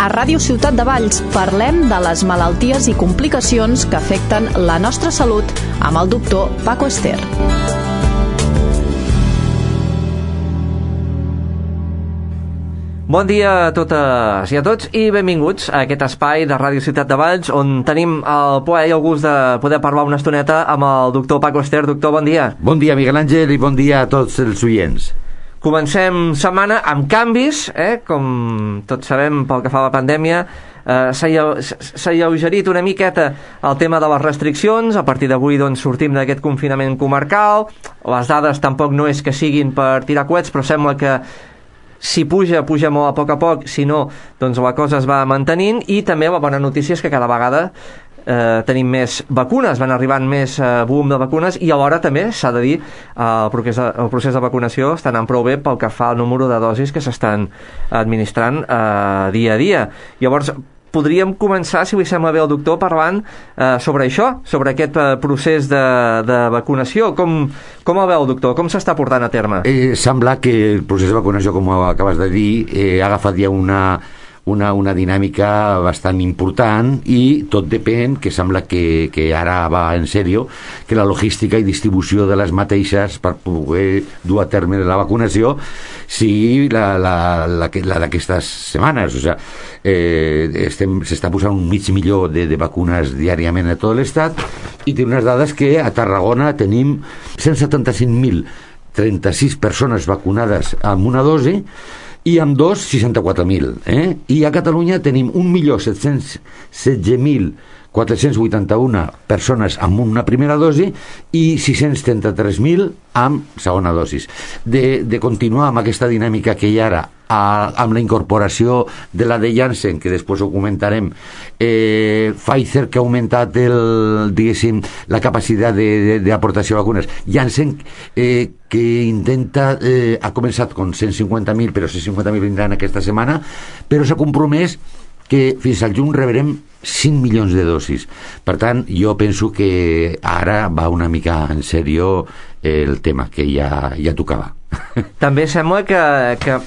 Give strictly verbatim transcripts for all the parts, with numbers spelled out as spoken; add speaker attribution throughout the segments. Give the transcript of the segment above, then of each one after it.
Speaker 1: A Ràdio Ciutat de Valls parlem de les malalties i complicacions que afecten la nostra salut amb el doctor Paco Ester.
Speaker 2: Bon dia a totes i a tots i benvinguts a aquest espai de Ràdio Ciutat de Valls on tenim el plaer i el gust de poder parlar una estoneta amb el doctor Paco Ester. Doctor, bon dia.
Speaker 3: Bon dia, Miguel Àngel, i bon dia a tots els oients.
Speaker 2: Comencem setmana amb canvis, eh? Com tots sabem, pel que fa a la pandèmia, eh, s'ha alleugerit una miqueta el tema de les restriccions. A partir d'avui doncs, sortim d'aquest confinament comarcal. Les dades tampoc no és que siguin per tirar coets, però sembla que si puja, puja molt a poc a poc, si no, doncs la cosa es va mantenint. I també la bona notícia és que cada vegada Eh, tenim més vacunes, van arribant més eh, volum de vacunes, i alhora també s'ha de dir eh, el, procés de, el procés de vacunació està anant prou bé pel que fa al número de dosis que s'estan administrant eh, dia a dia. Llavors podríem començar, si li sembla bé al doctor, parlant eh, sobre això, sobre aquest eh, procés de, de vacunació. Com, com el veu, doctor? Com s'està portant a terme?
Speaker 3: Eh, sembla que el procés de vacunació, com acabes de dir, eh, ha agafat ja una Una, una dinàmica bastant important, i tot depèn, que sembla que, que ara va en sèrio, que la logística i distribució de les mateixes per poder dur a terme la vacunació sigui la, la, la, la d'aquestes setmanes. O sigui, eh, estem, s'està posant un mig milió de, de vacunes diàriament a tot l'estat, i té unes dades que a Tarragona tenim cent setanta-cinc mil trenta-sis persones vacunades amb una dosi, i amb dos, seixanta-quatre mil. Eh? I a Catalunya tenim un milió set-cents setze mil quatre-cents vuitanta-un persones amb una primera dosi i sis-cents trenta-tres mil amb segona dosis. De, de continuar amb aquesta dinàmica que hi ha ara, a, amb la incorporació de la de Janssen, que després ho comentarem, eh, Pfizer, que ha augmentat el, diguéssim, la capacitat d'aportació de, de, de vacunes, Janssen, eh, que intenta, eh, ha començat amb cent cinquanta mil, però cent cinquanta mil vindran aquesta setmana, però s'ha compromès que fins al juny rebrem cinc milions de dosis. Per tant, jo penso que ara va una mica en sèrio el tema, que ja, ja tocava.
Speaker 2: També sembla que, que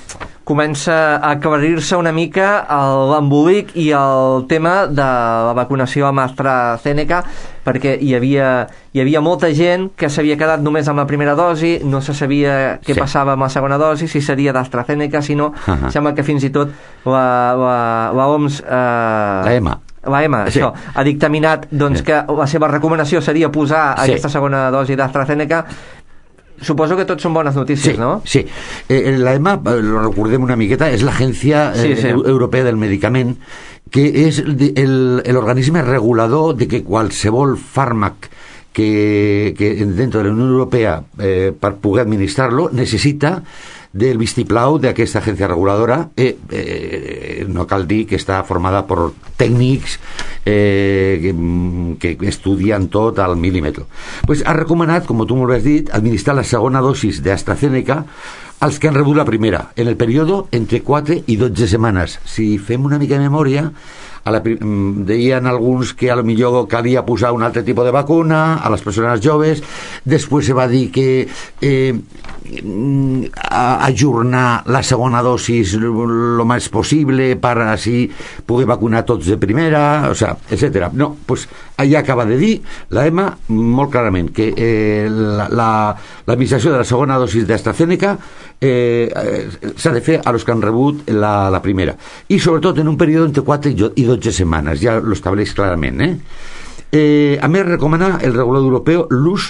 Speaker 2: comença a aclarir-se una mica l'embolic i el tema de la vacunació amb AstraZeneca, perquè hi havia, hi havia molta gent que s'havia quedat només amb la primera dosi, no se sabia què sí. passava amb la segona dosi, si seria d'AstraZeneca, si no, uh-huh. Sembla que fins i tot la, la, la O M S... Eh,
Speaker 3: la EMA.
Speaker 2: La EMA, sí. Això, ha dictaminat doncs, sí. que la seva recomanació seria posar sí. aquesta segona dosi d'AstraZeneca. Suposo que tot són bones notícies,
Speaker 3: sí,
Speaker 2: ¿no?
Speaker 3: Sí, eh, la EMA, lo recordem una miqueta, és l'Agència eh, sí, sí. Europea del Medicament, que és l'organisme regulador de que qualsevol fàrmac que, que dentro de la Unió Europea, eh, per poder administrar-lo, necessita del vistiplau d'aquesta agència reguladora. eh, eh, no cal dir que està formada per tècnics eh, que, que estudien tot al mil·límetre. Pues ha recomanat, com tu molt has dit, administrar la segona dosis d'AstraZeneca als que han rebut la primera, en el període entre quatre i dotze setmanes. Si fem una mica de memòria, a la, deien alguns que a lo millor calia posar un altre tipus de vacuna a les persones joves. Després se va dir que eh, ajornar la segona dosis lo més possible per així poder vacunar tots de primera, o sea, etcètera. No, pues allà acaba de dir la EMA molt clarament que eh, l'administració la, de la segona dosis d'AstraZeneca eh, s'ha de fer a los que han rebut la, la primera, i sobretot en un període entre quatre i dotze setmanes, ja lo estableix clarament. Eh? Eh, a més, recomana el regulador europeu l'ús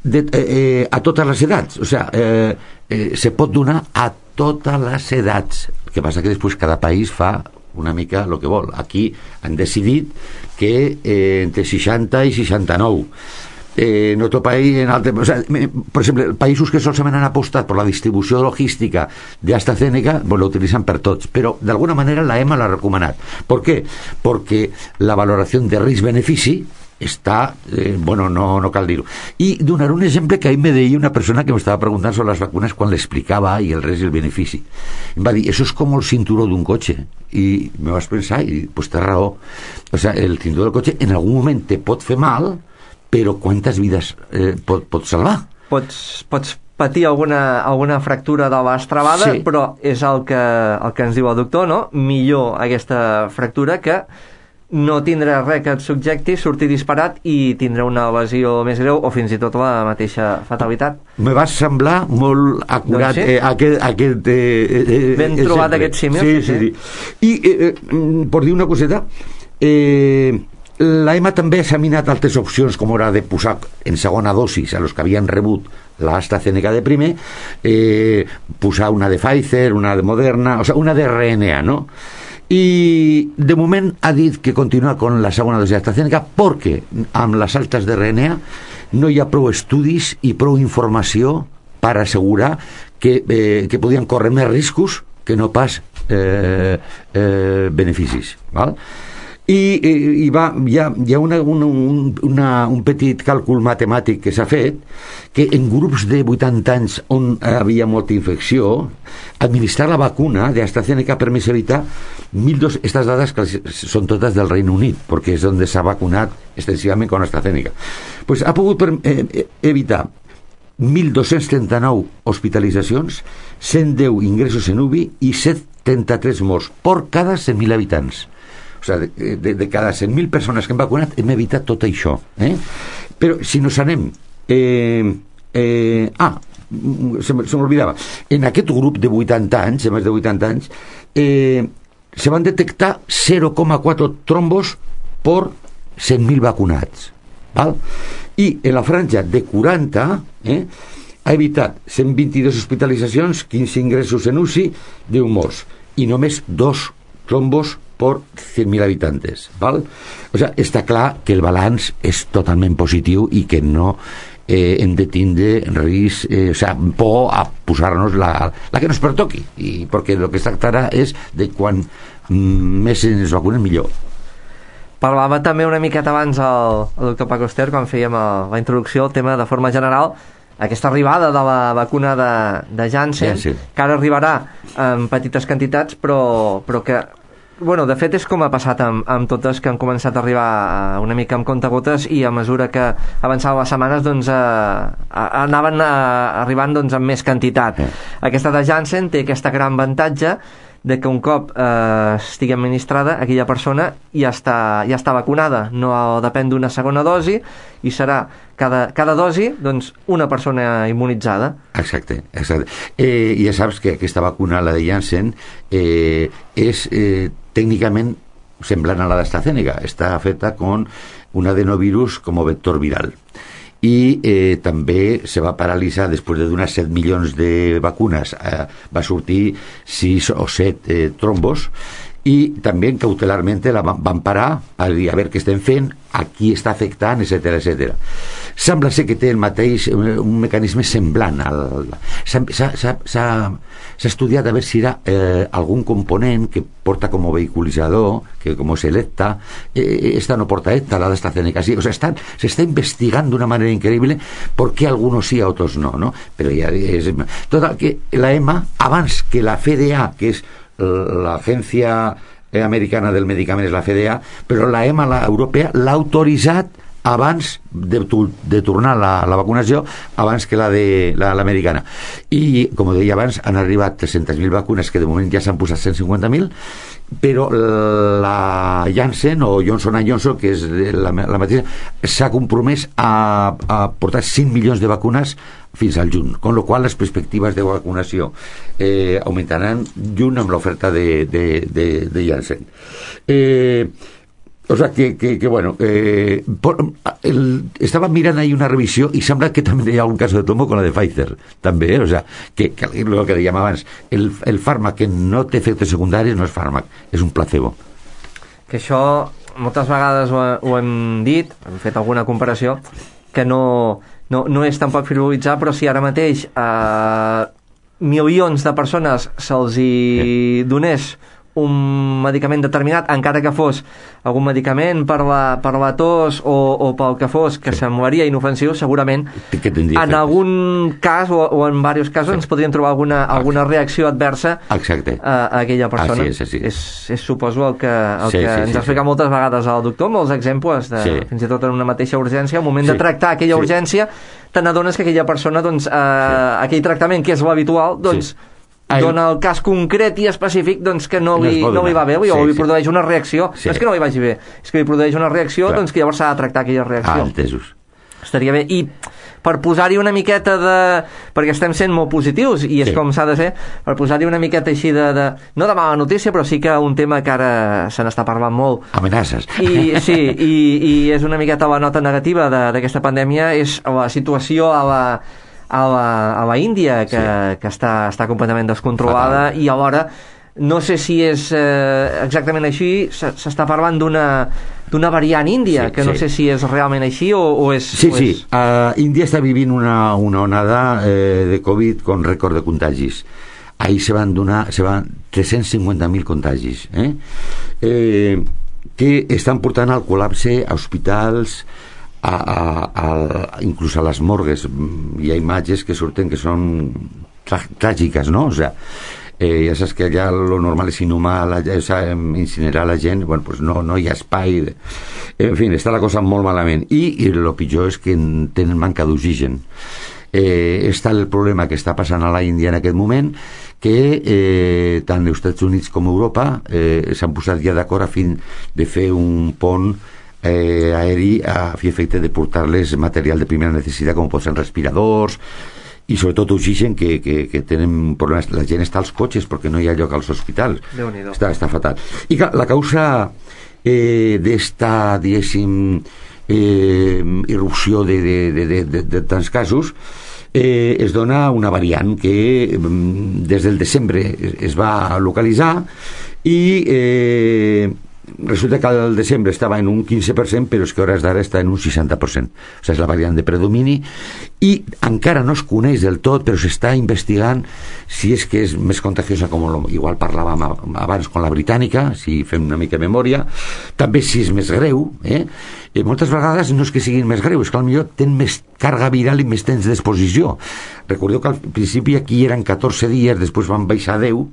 Speaker 3: de, eh, a totes les edats, o sea, eh, eh, se pot donar a totes les edats. El que passa que després cada país fa una mica el que vol. Aquí han decidit que eh, entre seixanta i seixanta-nou. Eh, en otro país, en altre, o sea, por ejemplo, països que solament han apostat per la distribució logística d'AstraZeneca, pues, lo utilitzan per tots, però d'alguna manera la EMA l'ha recomanat. ¿Por qué? Porque la valoració de risc-benefici està, eh, bueno, no, no cal dir-ho. I donar un exemple que ahir me deia una persona que m'estava preguntant sobre les vacunes quan l'explicava i el risc i el benefici. Em va dir, això és com el cinturó d'un cotxe. I me vas pensar, i pues té raó. O sea, el cinturó del cotxe en algun moment te pot fer mal, però quantes vides eh, pot, pot salvar?
Speaker 2: Pots, pots patir alguna, alguna fractura de l'estrabada,
Speaker 3: sí.
Speaker 2: però és el que, el que ens diu el doctor, no? Millor aquesta fractura que no tindrà res que et subjecti, sortir disparat i tindrà una lesió més greu o fins i tot la mateixa fatalitat.
Speaker 3: Me va semblar molt acurat, doncs sí. eh, aquest... aquest eh, eh,
Speaker 2: ben
Speaker 3: eh,
Speaker 2: trobat
Speaker 3: sempre.
Speaker 2: aquest símil.
Speaker 3: Sí, sí, sí. I, eh, per dir una coseta, eh, la E M A també ha examinat altres opcions, com era de posar en segona dosis a los que havien rebut l'AstraZeneca de primer, eh, posar una de Pfizer, una de Moderna, o sea, una de R N A, no? I de moment ha dit que continua con la segona dosi d'AstraZeneca perquè amb les altes de R N A no hi ha prou estudis i prou informació per assegurar que, eh, que podien córrer més riscos que no pas eh, eh, beneficis, val? I, i, i va, hi ha, hi ha una, una, una, un petit càlcul matemàtic que s'ha fet que en grups de vuitanta anys on havia molta infecció, administrar la vacuna d'AstraZeneca ha permès evitar mil dos... Estas dades que són totes del Reino Unit, perquè és on s'ha vacunat extensivament con AstraZeneca. Pues ha pogut per, eh, evitar mil dos-cents trenta-nou hospitalitzacions, cent deu ingressos en U B I i setanta-tres morts per cada cent mil habitants. O sigui, de, de, de cada cent mil persones que hem vacunat hem evitat tot això, eh? Però si nos anem eh, eh, ah, se m'oblidava, en aquest grup de vuitanta anys, de més de vuitanta anys, eh, se van detectar zero coma quatre trombos per cent mil vacunats, val? I en la franja de quaranta eh, ha evitat cent vint-i-dos hospitalitzacions, quinze ingressos en U C I, deu morts i només dos trombos por cent mil habitantes, ¿vale? O sea, està clar que el balanç és totalment positiu i que no eh, hem de tindre risc, eh, o sea, por a posar-nos la, la que nos pertoqui, i perquè el que es tractarà és de quan més ens vacunen millor.
Speaker 2: Parlava també una miqueta abans el, el doctor Paco Ester, quan fèiem el, la introducció, el tema de forma general, aquesta arribada de la vacuna de, de Janssen,
Speaker 3: sí, sí.
Speaker 2: que ara arribarà en petites quantitats, però, però que bueno, de fet és com ha passat amb, amb totes que han començat a arribar una mica amb comptagotes i a mesura que avançaven les setmanes doncs, eh, anaven a, arribant doncs, amb més quantitat. Sí. Aquesta de Janssen té aquesta gran avantatge de que un cop eh, estigui administrada aquella persona ja està, ja està vacunada, no depèn d'una segona dosi i serà cada, cada dosi doncs, una persona immunitzada.
Speaker 3: Exacte, exacte. Eh, ja saps que aquesta vacuna, la de Janssen, eh, és eh, tècnicament semblant a la d'AstraZeneca, està feta con un adenovirus com a vector viral. I eh, també se va paralitzar després de donar set milions de vacunes, eh, va sortir sis o set eh, trombos i també cautelarment la van, van parar a dir a veure què estem fent, a qui està afectant, etcètera, etcètera. Sembla ser que té el mateix, un mecanisme semblant. S'ha estudiat a veure si hi ha eh, algun component que porta com a vehiculitzador, que com és l'ETA, eh, esta no porta ETA, la d'AstraZeneca sí. O sea, están, se está investigando de una manera increíble por qué algunos sí, a otros no, ¿no? Pero ya es... Total, que la E M A, abans que la F D A, que és l'agència americana del medicament, és la F D A, però la E M A, la europea, l'ha autoritzat abans de, de tornar la, la vacunació, abans que la de la, l'americana. I, com deia abans, han arribat tres-centes mil vacunes, que de moment ja s'han posat cent cinquanta mil, però la Janssen o Johnson and Johnson, que és la, la mateixa, s'ha compromès a, a portar cinc milions de vacunes fins al juny, con lo qual les perspectives de vacunació eh, augmentaran junt amb l'oferta de, de, de, de Janssen. Eh, o sea que, que, que bueno, eh, por, el, estaba mirant ahí una revisió i sembla que també hi ha algun cas de tombo con la de Pfizer, també, eh? O sea, que, que el que dèiem abans, el, el fàrmac que no té efectes secundaris no és fàrmac, és un placebo. Que
Speaker 2: això moltes vegades ho, ho hem dit, hem fet alguna comparació, que no, no, no és tampoc frivolitzar, però si ara mateix eh, milions de persones se'ls hi donés un medicament determinat, encara que fos algun medicament per la, per la tos o, o pel que fos, que sí, semblaria inofensiu, segurament en algun cas o, o en diversos casos sí, ens podríem trobar alguna, alguna reacció adversa a, a aquella persona.
Speaker 3: Així és, així.
Speaker 2: És, és suposo el que, el
Speaker 3: sí,
Speaker 2: que
Speaker 3: sí,
Speaker 2: ens
Speaker 3: sí,
Speaker 2: ha explicat
Speaker 3: sí,
Speaker 2: moltes vegades el doctor, molts exemples de, sí, fins i tot en una mateixa urgència, al moment sí, de tractar aquella
Speaker 3: sí,
Speaker 2: urgència te n'adones que aquella persona, doncs, eh, sí. aquell tractament que és l'habitual, doncs, sí. dona el cas concret i específic doncs, que no li, no, no li va bé, sí, o li sí. produeix una reacció. Sí. No és que no li vagi bé, és que li produeix una reacció, Clar. doncs que llavors s'ha de tractar aquella reacció.
Speaker 3: Ah, entesos.
Speaker 2: Estaria bé. I per posar-hi una miqueta de... perquè estem sent molt positius, i és sí. com s'ha de ser, per posar-hi una miqueta així de, de... no de mala notícia, però sí que un tema que ara se n'està parlant molt.
Speaker 3: Amenaces.
Speaker 2: I, sí, i, i és una miqueta la nota negativa d'aquesta pandèmia, és la situació a la... a la, a la Índia, que, sí. que està, està completament descontrolada. Fatal. I alhora no sé si és eh, exactament així, s'està parlant d'una d'una variant índia, sí, que no sí. sé si és realment així o, o és...
Speaker 3: Sí,
Speaker 2: o
Speaker 3: sí,
Speaker 2: és...
Speaker 3: Uh, Índia està vivint una, una onada eh, de Covid con rècord de contagis. Ahí se van donar se van tres-cents cinquanta mil contagis, eh? Eh, que estan portant al col·lapse a hospitals, A, a, a, inclús a les morgues. Hi ha imatges que surten que són tràgiques, no? O sea, eh, ja saps que allà lo normal és inhumar la, o sea, incinerar la gent. Bueno, pues no, no hi ha espai de... en fi, està la cosa molt malament i, i el pitjor és que tenen manca d'oxigen. Eh, està el problema que està passant a la Índia en aquest moment, que eh, tant els Estats Units com Europa eh, s'han posat ja d'acord a fin de fer un pont Eh, aeri a fi efecte de portar-les material de primera necessitat, com poden ser respiradors i sobretot oxigen, que, que, que tenen problemes. La gent està als cotxes perquè no hi ha lloc als hospitals. Està, està fatal. I clar, la causa eh, d'esta, diguéssim, eh, irrupció de, de, de, de, de, de tants casos eh, es dona una variant que des del desembre es va localitzar i eh, resulta que al desembre estava en un quinze per cent, però és que a hores d'ara està en un seixanta per cent. O sigui, és la variant de predomini i encara no es coneix del tot, però s'està investigant si és que és més contagiosa, com lo, igual parlàvem abans con la britànica, si fem una mica de memòria, també si és més greu, eh? I moltes vegades no és que siguin més greus, és que potser tenen més càrrega viral i més temps d'exposició. Recordeu que al principi aquí eren catorze dies, després van baixar a deu,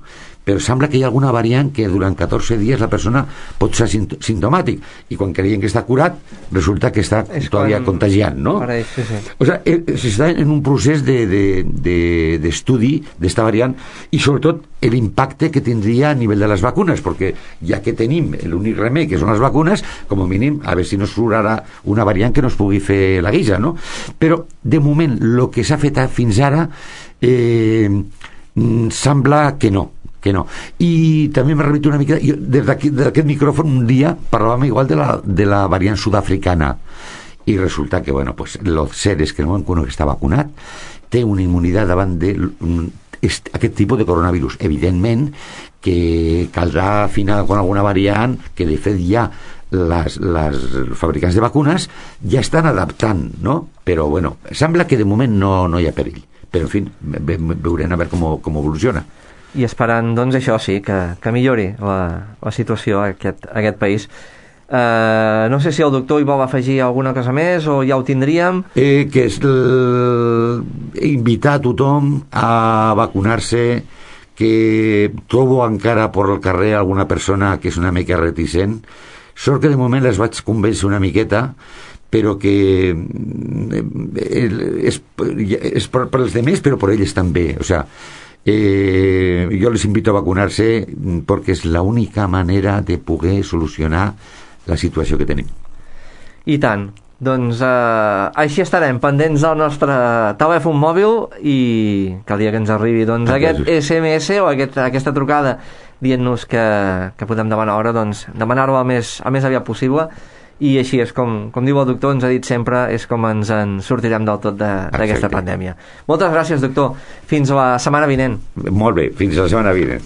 Speaker 3: però sembla que hi ha alguna variant que durant catorze dies la persona pot ser simptomàtic i quan creien que està curat resulta que està todavía quan... contagiant, no?
Speaker 2: Pareix, sí, sí.
Speaker 3: O sea, s'està en un procés d'estudi de, de, de d'esta variant i sobretot l'impacte que tindria a nivell de les vacunes, perquè ja que tenim l'únic remei que són les vacunes, com a mínim a veure si no surt ara una variant que no es pugui fer la guisa, no? Però de moment el que s'ha fet fins ara eh, sembla que no que no. I també m'he rebut una mica, jo, des d'aquest micròfon un dia parlàvem igual de la, de la variant sud-africana i resulta que, bueno, pues los seres que no van que està vacunat té una immunitat davant de aquest tipus de coronavirus. Evidentment que caldrà afinar con alguna variant que de fet ja les, les fabricants de vacunes ja estan adaptant, no? Però bueno, sembla que de moment no, no hi ha perill, però en fi, veurem a veure com, com evoluciona.
Speaker 2: I esperant, doncs, això sí, que, que millori la, la situació a aquest, a aquest país. Uh, no sé si el doctor hi vol afegir alguna cosa més o ja ho tindríem.
Speaker 3: Eh, que és l... invitar a tothom a vacunar-se, que trobo encara per el carrer alguna persona que és una mica reticent. Sort que de moment les vaig convèncer una miqueta, però que és, és per, per els demés, però per ells també. O sea, Eh, yo les invito a vacunarse porque es la única manera de poder solucionar la situació que tenim.
Speaker 2: I tant. Doncs eh, així estarem pendents del nostre telèfon mòbil i que el dia que ens arribi doncs, aquest esse eme esse o aquest, aquesta trucada dient-nos que, que podem demanar hora, doncs demanar-ho el més, el més aviat possible. I així és com, com diu el doctor, ens ha dit sempre, és com ens en sortirem del tot d'aquesta pandèmia. Moltes gràcies, doctor. Fins la setmana vinent.
Speaker 3: Molt bé, fins la setmana vinent.